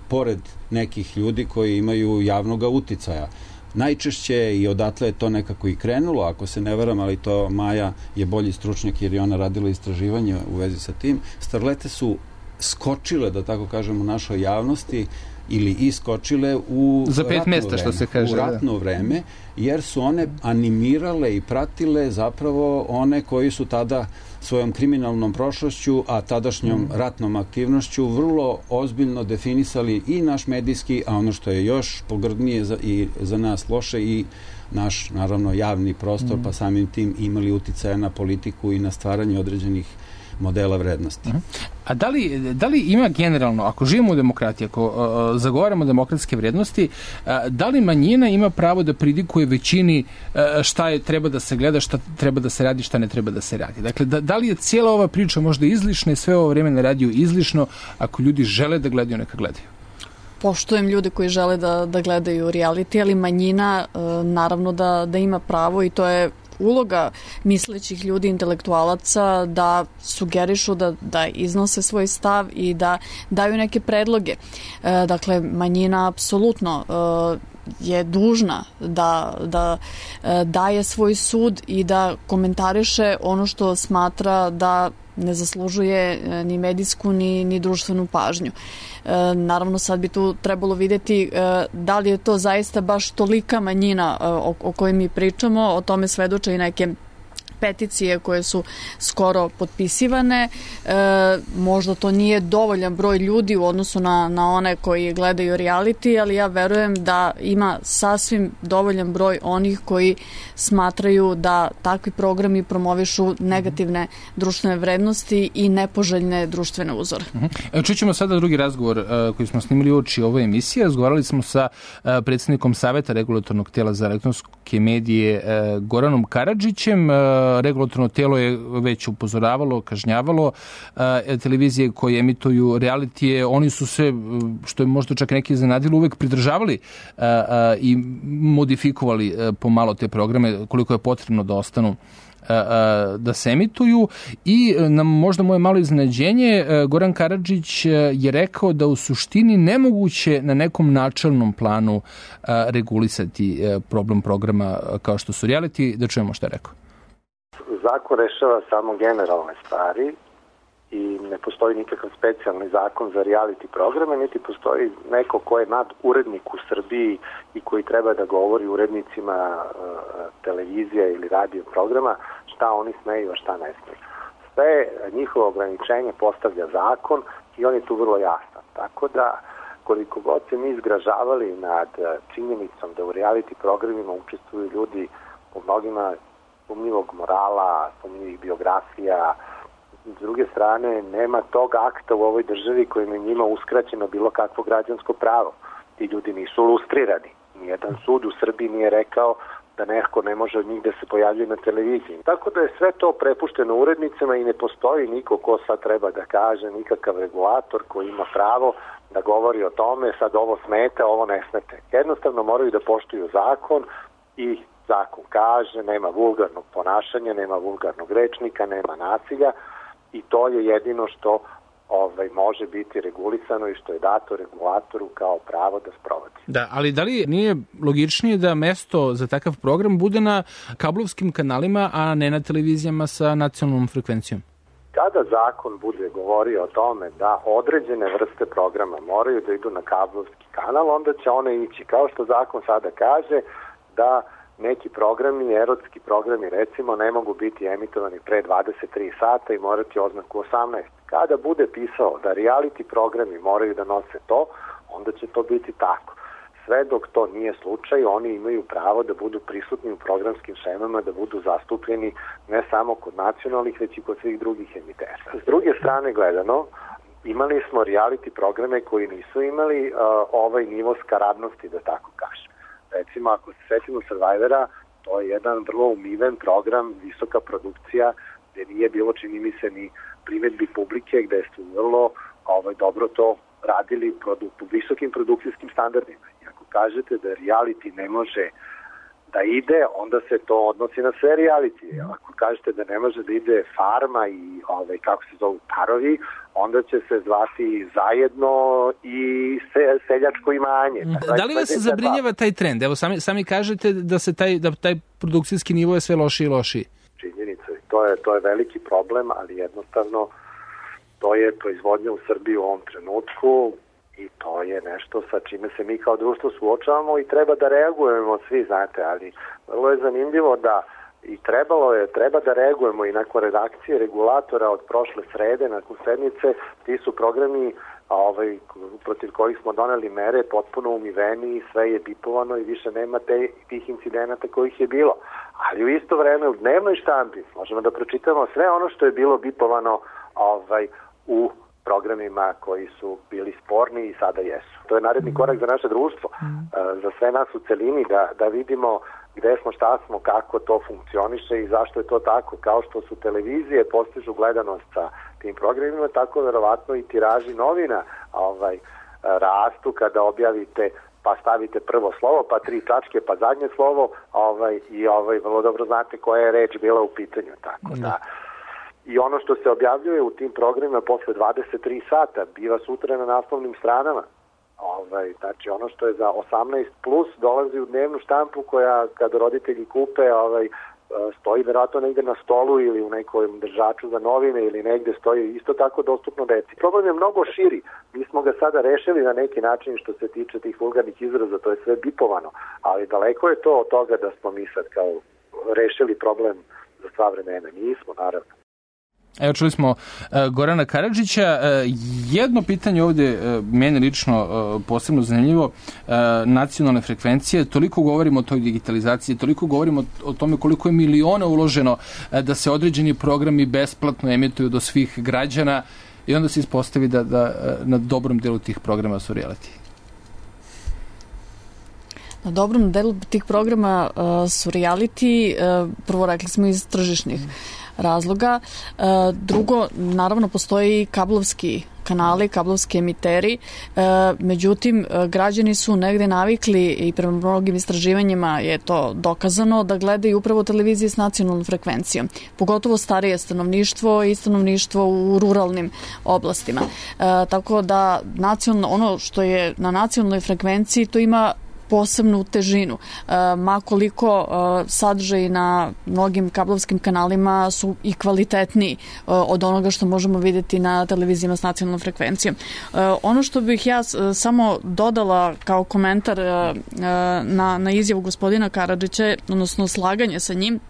[SPEAKER 6] pored nekih ljudi koji imaju javnog uticaja. Najčešće i odatle je to nekako i krenulo, ako se ne varam, ali to Maja je bolji stručnjak jer je ona radila istraživanje u vezi sa tim. Starlete su skočile, da tako kažem, u našoj javnosti ili iskočile u
[SPEAKER 5] za pet mjesta, što se kaže,
[SPEAKER 6] u ratno da. vreme, jer su one animirale i pratile zapravo one koji su tada svojom kriminalnom prošlošću, a tadašnjom mm. ratnom aktivnošću vrlo ozbiljno definisali i naš medijski, a ono što je još pogrdnije za, i za nas loše, i naš, naravno, javni prostor, mm. pa samim tim imali uticaja na politiku i na stvaranje određenih modela vrednosti.
[SPEAKER 5] A da li, da li ima generalno, ako živimo u demokratiji, ako uh, zagovaramo demokratske vrednosti, uh, da li manjina ima pravo da pridikuje većini uh, šta je treba da se gleda, šta treba da se radi, šta ne treba da se radi? Dakle, da, da li je cijela ova priča možda izlišna i sve ovo vreme na radiju izlišno, ako ljudi žele da gledaju, neka gledaju?
[SPEAKER 3] Poštujem ljude koji žele da, da gledaju reality, ali manjina uh, naravno da, da ima pravo i to je uloga mislećih ljudi, intelektualaca, da sugerišu, da, da iznose svoj stav i da daju neke predloge. E, dakle, manjina apsolutno e, je dužna da, da e, daje svoj sud i da komentariše ono što smatra da ne zaslužuje ni medijsku ni, ni društvenu pažnju. E, naravno, sad bi tu trebalo vidjeti e, da li je to zaista baš tolika manjina e, o, o kojoj mi pričamo. O tome svedoče i neke peticije koje su skoro potpisivane. E, možda to nije dovoljan broj ljudi u odnosu na, na one koji gledaju reality, ali ja verujem da ima sasvim dovoljan broj onih koji smatraju da takvi programi promovišu negativne društvene vrednosti i nepoželjne društvene uzore.
[SPEAKER 5] Uh-huh. Čućemo sada drugi razgovor uh, koji smo snimili uoči ove emisije. Razgovarali smo sa uh, predsjednikom Saveta regulatornog tijela za elektronske medije uh, Goranom Karadžićem. Uh, regulatorno telo je već upozoravalo, kažnjavalo televizije koje emituju realitije. Oni su se, što je možda čak neki iznenadilo, uvek pridržavali i modifikovali pomalo te programe koliko je potrebno da ostanu da se emituju. I na možda moje malo iznenađenje, Goran Karadžić je rekao da u suštini nemoguće na nekom načelnom planu regulisati problem programa kao što su reality. Da čujemo što je rekao.
[SPEAKER 14] Zakon rešava samo generalne stvari i ne postoji nikakav specijalni zakon za reality programe, niti postoji neko ko je nad urednik u Srbiji i koji treba da govori urednicima uh, televizija ili radio programa šta oni smeju, a šta ne smeju. Sve njihovo ograničenje postavlja zakon i on je tu vrlo jasan. Tako da, koliko god se mi izgražavali nad činjenicom da u reality programima učestvuju ljudi po mnogima sumnjivog morala, sumnjivih biografija, s druge strane, nema tog akta u ovoj državi kojim je njima uskraćeno bilo kakvo građansko pravo. Ti ljudi nisu lustrirani. Nijedan sud u Srbiji nije rekao da neko ne može od njih da se pojavljuje na televiziji. Tako da je sve to prepušteno urednicima i ne postoji niko ko sad treba da kaže, nikakav regulator koji ima pravo da govori o tome, sad ovo smete, ovo ne smete. Jednostavno moraju da poštuju zakon i zakon kaže, nema vulgarnog ponašanja, nema vulgarnog rečnika, nema nasilja. I to je jedino što ovaj, može biti regulisano i što je dato regulatoru kao pravo da sprovodi.
[SPEAKER 5] Da, ali da li nije logičnije da mesto za takav program bude na kablovskim kanalima, a ne na televizijama sa nacionalnom frekvencijom?
[SPEAKER 14] Kada zakon bude govorio o tome da određene vrste programa moraju da idu na kablovski kanal, onda će one ići. Kao što zakon sada kaže da neki programi, erotski programi recimo, ne mogu biti emitovani pre dvadeset tri sata i morati oznaku osamnaest. Kada bude pisao da reality programi moraju da nose to, onda će to biti tako. Sve dok to nije slučaj, oni imaju pravo da budu prisutni u programskim šemama, da budu zastupljeni ne samo kod nacionalnih, već i kod svih drugih emitera. S druge strane gledano, imali smo reality programe koji nisu imali uh, ovaj nivo skaradnosti, da tako kažem. Recimo, ako se setimo Survivora, to je jedan vrlo umiven program, visoka produkcija, gde nije bilo, čini mi se, ni primedbi publike, gde su vrlo ovaj, dobro to radili u visokim produkcijskim standardima. I ako kažete da reality ne može da ide, onda se to odnosi na sve reality. Ako kažete da ne može da ide Farma i ovaj, kako se zovu parovi, onda će se zvati Zajedno i se, Seljačko imanje.
[SPEAKER 5] Da, da li vas zabrinjava taj trend? Evo, sami, sami kažete da se taj, da taj produkcijski nivo je sve lošiji i lošiji.
[SPEAKER 14] Činjenica, to je, to je veliki problem, ali jednostavno to je proizvodnja u Srbiji u ovom trenutku i to je nešto sa čime se mi kao društvo suočavamo i treba da reagujemo svi, znate, ali vrlo je zanimljivo da i trebalo je, treba da reagujemo i nakon redakcije regulatora od prošle srede, nakon sedmice, ti su programi ovaj, protiv kojih smo doneli mere potpuno umiveni, sve je bipovano i više nema te, tih incidenata kojih je bilo. Ali u isto vreme u dnevnoj štampi možemo da pročitamo sve ono što je bilo bipovano ovaj, u programima koji su bili sporni i sada jesu. To je naredni korak za naše društvo, za sve nas u celini, da, da vidimo gde smo, šta smo, kako to funkcioniše i zašto je to tako. Kao što su televizije postižu gledanost sa tim programima, tako verovatno i tiraži novina ovaj, rastu kada objavite pa stavite prvo slovo, pa tri tačke, pa zadnje slovo ovaj, i ovaj, vrlo dobro znate koja je reč bila u pitanju. Tako da, i ono što se objavljuje u tim programima posle dvadeset tri sata biva sutra na naslovnim stranama. Ovaj, znači ono što je za osamnaest plus dolazi u dnevnu štampu koja kada roditelji kupe ovaj, stoji verovatno negde na stolu ili u nekom držaču za novine ili negde stoji isto tako dostupno deci. Problem je mnogo širi. Mi smo ga sada rešili na neki način što se tiče tih vulgarnih izraza, to je sve bipovano, ali daleko je to od toga da smo mi sad kao rešili problem za sva vremena. Nismo, naravno.
[SPEAKER 5] Evo, čuli smo uh, Gorana Karadžića. Uh, jedno pitanje ovde, uh, meni lično uh, posebno zanimljivo, uh, nacionalne frekvencije, toliko govorimo o toj digitalizaciji, toliko govorimo o, o tome koliko je miliona uloženo uh, da se određeni programi besplatno emituju do svih građana i onda se ispostavi da, da uh, na dobrom delu tih programa su reality.
[SPEAKER 3] Na dobrom delu tih programa uh, su reality, uh, prvo rekli smo iz tržišnih razloga. Uh, drugo, naravno postoji kablovski kanali, kablovski emiteri, uh, međutim građani su negde navikli i prema mnogim istraživanjima je to dokazano da gledaju upravo televizije s nacionalnom frekvencijom, pogotovo starije stanovništvo i stanovništvo u ruralnim oblastima. Uh, tako da nacionalno, ono što je na nacionalnoj frekvenciji to ima posebnu težinu. E, makoliko e, sadržaj na mnogim kablovskim kanalima su i kvalitetniji e, od onoga što možemo vidjeti na televizijama s nacionalnom frekvencijom. E, ono što bih ja e, samo dodala kao komentar e, e, na, na izjavu gospodina Karadžića, odnosno slaganje sa njim,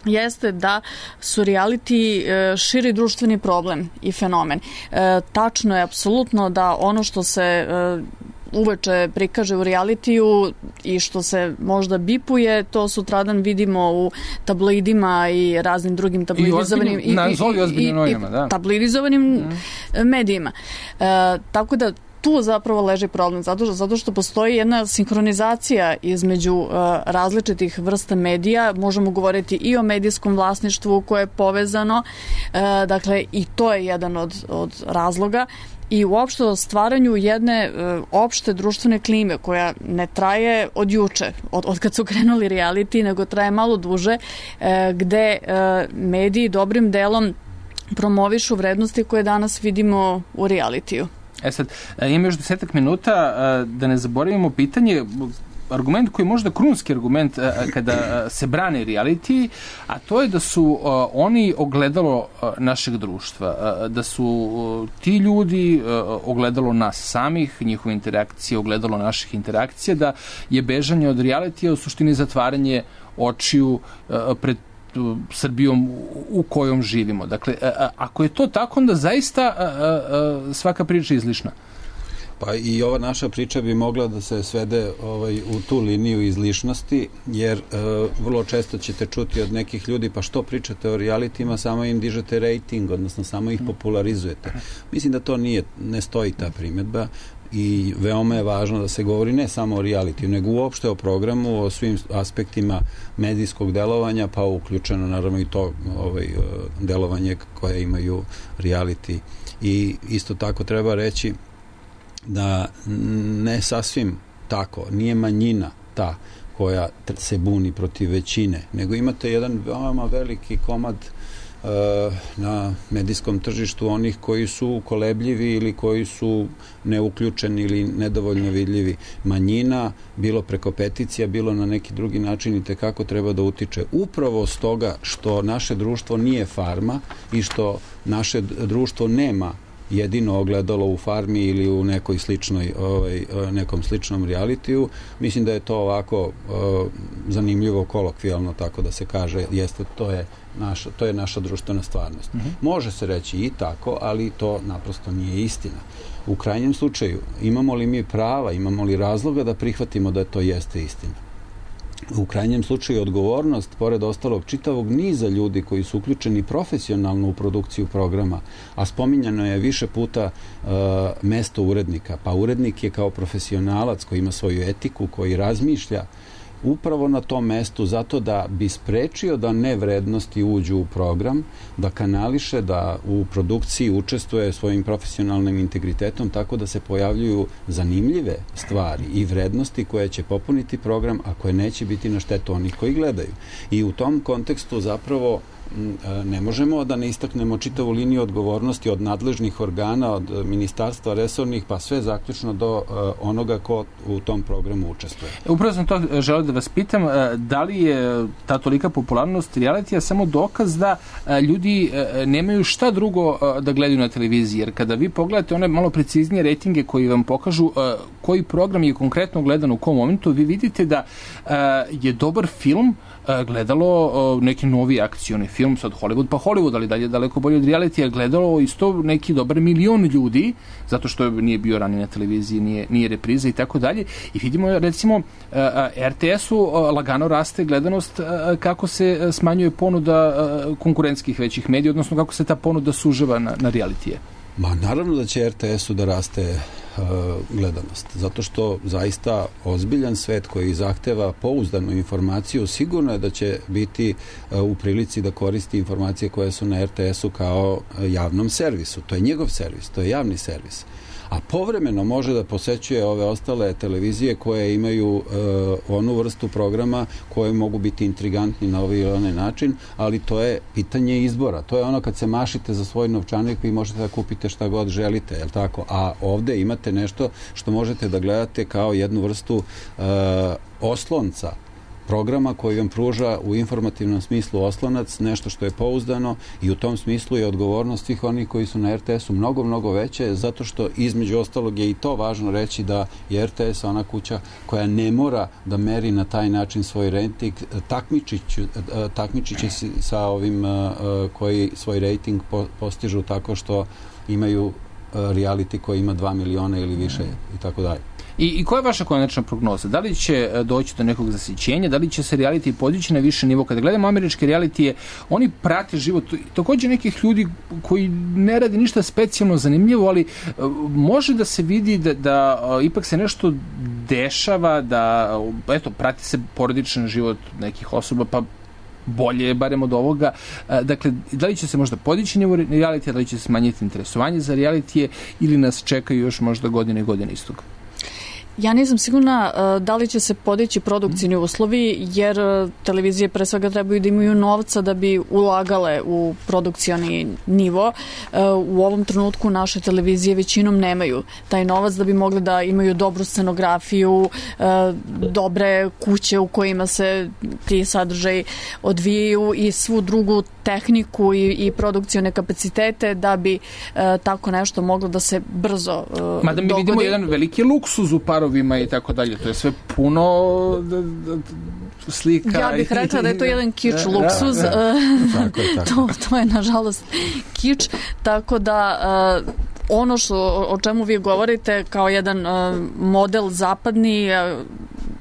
[SPEAKER 3] jeste da su reality e, širi društveni problem i fenomen. E, tačno je apsolutno da ono što se e, uveče prikaže u realitiju i što se možda bipuje, to sutradan vidimo u tabloidima i raznim drugim tabloidizovanim
[SPEAKER 5] i, i, i, i, i da.
[SPEAKER 3] tabloidizovanim mm. medijima. E, tako da tu zapravo leži problem, zato, zato što postoji jedna sinhronizacija između uh, različitih vrsta medija, možemo govoriti i o medijskom vlasništvu koje je povezano, uh, dakle i to je jedan od, od razloga, i uopšte o stvaranju jedne uh, opšte društvene klime koja ne traje od juče, od, od kad su krenuli reality, nego traje malo duže, uh, gde uh, mediji dobrim delom promovišu vrednosti koje danas vidimo u realitiju.
[SPEAKER 5] E sad, ima još desetak minuta, da ne zaboravimo pitanje, argument koji je možda krunski argument kada se brane reality, a to je da su oni ogledalo našeg društva, da su ti ljudi ogledalo nas samih, njihove interakcije, ogledalo naših interakcija, da je bežanje od reality u suštini zatvaranje očiju pred Srbijom u kojom živimo. Dakle, ako je to tako, onda zaista svaka priča je izlišna.
[SPEAKER 6] Pa i ova naša priča bi mogla da se svede ovaj, u tu liniju izlišnosti, jer e, vrlo često ćete čuti od nekih ljudi, pa što pričate o realitima, samo im dižete rating, odnosno samo ih popularizujete. Mislim da to nije, ne stoji ta primjedba. I veoma je važno da se govori ne samo o realitiju, nego uopšte o programu, o svim aspektima medijskog delovanja, pa uključeno naravno i to ovaj, delovanje koje imaju reality. I isto tako treba reći da ne sasvim tako, nije manjina ta koja se buni protiv većine, nego imate jedan veoma veliki komad na medijskom tržištu onih koji su kolebljivi ili koji su neuključeni ili nedovoljno vidljivi. Manjina, bilo preko peticija, bilo na neki drugi način i tekako treba da utiče. Upravo s toga što naše društvo nije farma i što naše društvo nema jedino ogledalo u farmi ili u nekoj sličnoj, ovaj, nekom sličnom realitiju. Mislim da je to ovako uh, zanimljivo kolokvijalno, tako da se kaže, jeste, to je naša, to je naša društvena stvarnost. Mm-hmm. Može se reći i tako, ali to naprosto nije istina. U krajnjem slučaju, imamo li mi prava, imamo li razloga da prihvatimo da to jeste istina? U krajnjem slučaju odgovornost, pored ostalog čitavog niza ljudi koji su uključeni profesionalno u produkciju programa, a spominjano je više puta uh, mesto urednika. Pa urednik je kao profesionalac koji ima svoju etiku, koji razmišlja upravo na tom mestu zato da bi sprečio da nevrednosti uđu u program, da kanališe, da u produkciji učestvuje svojim profesionalnim integritetom tako da se pojavljuju zanimljive stvari i vrednosti koje će popuniti program, a koje neće biti na štetu onih koji gledaju. I u tom kontekstu zapravo ne možemo da ne istaknemo čitavu liniju odgovornosti od nadležnih organa, od ministarstva resornih, pa sve zaključno do onoga ko u tom programu učestvuje.
[SPEAKER 5] Upravo sam to želeo da vas pitam, da li je ta tolika popularnost realitija samo dokaz da ljudi nemaju šta drugo da gledaju na televiziji, jer kada vi pogledate one malo preciznije rejtinge koji vam pokažu koji program je konkretno gledan u kom momentu, vi vidite da je dobar film gledalo neki novi akcioni film, sad Hollywood pa Hollywood, ali dalje daleko bolje od reality, je gledalo isto neki dobar milion ljudi, zato što nije bio ranije na televiziji, nije, nije repriza i tako dalje. I vidimo, recimo, er te esu lagano raste gledanost kako se smanjuje ponuda konkurentskih većih medija, odnosno kako se ta ponuda sužava na, na realitije.
[SPEAKER 6] Ma naravno da će er te esu da raste uh, gledanost, zato što zaista ozbiljan svet koji zahteva pouzdanu informaciju, sigurno je da će biti uh, u prilici da koristi informacije koje su na er te esu kao javnom servisu. To je njegov servis, to je javni servis. A povremeno može da posećuje ove ostale televizije koje imaju uh, onu vrstu programa koje mogu biti intrigantni na ovaj ili onaj način, ali to je pitanje izbora. To je ono kad se mašite za svoj novčanik, vi možete da kupite šta god želite, je li tako? A ovde imate nešto što možete da gledate kao jednu vrstu uh, oslonca programa koji vam pruža u informativnom smislu oslonac, nešto što je pouzdano, i u tom smislu je odgovornost svih onih koji su na er te esu mnogo, mnogo veće, zato što između ostalog je i to važno reći da je er te es ona kuća koja ne mora da meri na taj način svoj rejting, takmičit će se sa ovim koji svoj rejting postižu tako što imaju reality koji ima dva miliona ili više i tako dalje.
[SPEAKER 5] I, I koja je vaša konačna prognoza? Da li će doći do nekog zasićenja? Da li će se reality podići na više nivo? Kada gledamo američke realitije, oni prate život takođe nekih ljudi koji ne radi ništa specijalno zanimljivo, ali može da se vidi da, da ipak se nešto dešava, da eto, prati se porodičan život nekih osoba, pa bolje je barem od ovoga. Dakle, da li će se možda podići nivo realitija, da li će se smanjiti interesovanje za realitije ili nas čekaju još možda godine i godine istog?
[SPEAKER 3] Ja nisam sigurna uh, da li će se podići produkcijni uslovi, jer uh, televizije pre svega trebaju da imaju novca da bi ulagale u produkcioni nivo. Uh, u ovom trenutku naše televizije većinom nemaju taj novac da bi mogli da imaju dobru scenografiju, uh, dobre kuće u kojima se ti sadržaji odvijaju i svu drugu tehniku i, i produkcione kapacitete da bi uh, tako nešto moglo da se brzo uh, dogodi.
[SPEAKER 5] Mada mi vidimo jedan veliki luksuz u parovima i tako dalje. To je sve puno d, d, d, slika.
[SPEAKER 3] Ja bih rekla da je to jedan kič luksuz. Da, da.
[SPEAKER 6] Tako je, tako.
[SPEAKER 3] to, to je nažalost kič. Tako da uh, ono što, o čemu vi govorite kao jedan uh, model zapadni uh,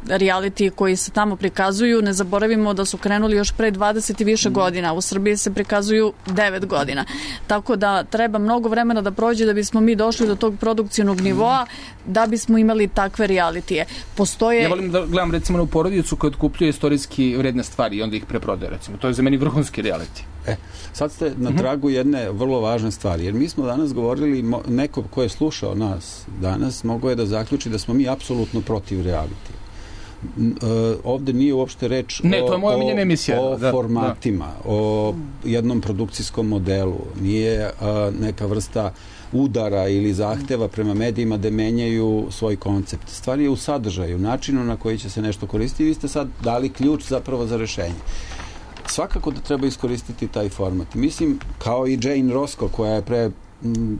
[SPEAKER 3] reality koji se tamo prikazuju, ne zaboravimo da su krenuli još pre dvadeset i više godina. U Srbiji se prikazuju devet godina. Tako da treba mnogo vremena da prođe da bismo mi došli do tog produkcijnog nivoa, da bismo imali takve realitije. Postoje...
[SPEAKER 5] Ja volim da gledam recimo na porodicu koja otkupljuje istorijski vredne stvari i onda ih preprodaje, recimo. To je za meni vrhunski reality.
[SPEAKER 6] E, sad ste na tragu jedne vrlo važne stvari, jer mi smo danas govorili, neko ko je slušao nas danas, mogao je da zaključi da smo mi apsolutno protiv realitija. Ovde nije uopšte reč
[SPEAKER 5] ne, to je moja
[SPEAKER 6] o,
[SPEAKER 5] emisija,
[SPEAKER 6] o
[SPEAKER 5] da,
[SPEAKER 6] formatima, da. O jednom produkcijskom modelu. Nije a, neka vrsta udara ili zahteva prema medijima da menjaju svoj koncept. Stvar je u sadržaju, načinu na koji će se nešto koristiti. Vi ste sad dali ključ zapravo za rešenje. Svakako da treba iskoristiti taj format. Mislim, kao i Jane Roscoe, koja je pre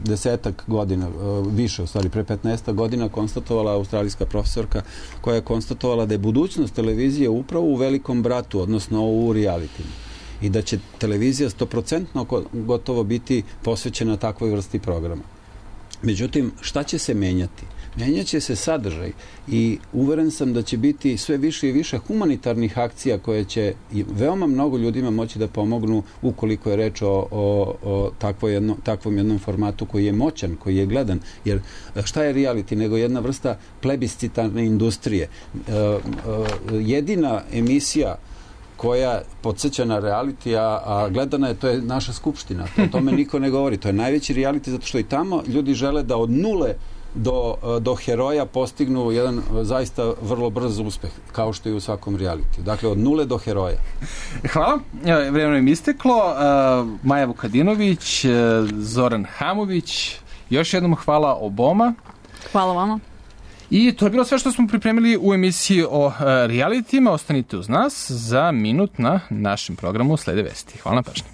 [SPEAKER 6] desetak godina, više u stvari, pre petnaestak godina konstatovala australijska profesorka, koja je konstatovala da je budućnost televizije upravo u Velikom bratu, odnosno u realitima. I da će televizija sto posto gotovo biti posvećena takvoj vrsti programa. Međutim, šta će se menjati? Menjaće se sadržaj i uveren sam da će biti sve više i više humanitarnih akcija koje će i veoma mnogo ljudima moći da pomognu ukoliko je reč o, o, o takvo jedno, takvom jednom formatu koji je moćan, koji je gledan. Jer šta je reality nego jedna vrsta plebiscitarne industrije? E, e, jedina emisija koja podsjeća na reality, a, a gledana je, to je naša skupština. O tome niko ne govori. To je najveći reality zato što i tamo ljudi žele da od nule do, do heroja postignu jedan zaista vrlo brz uspeh, kao što je u svakom realitiju. Dakle, od nule do heroja.
[SPEAKER 5] Hvala. Vremeno im isteklo. Maja Vukadinović, Zoran Hamović, još jednom hvala oboma.
[SPEAKER 3] Hvala vama.
[SPEAKER 5] I to je bilo sve što smo pripremili u emisiji o realitima. Ostanite uz nas, za minut na našem programu slede vesti. Hvala na pažnji.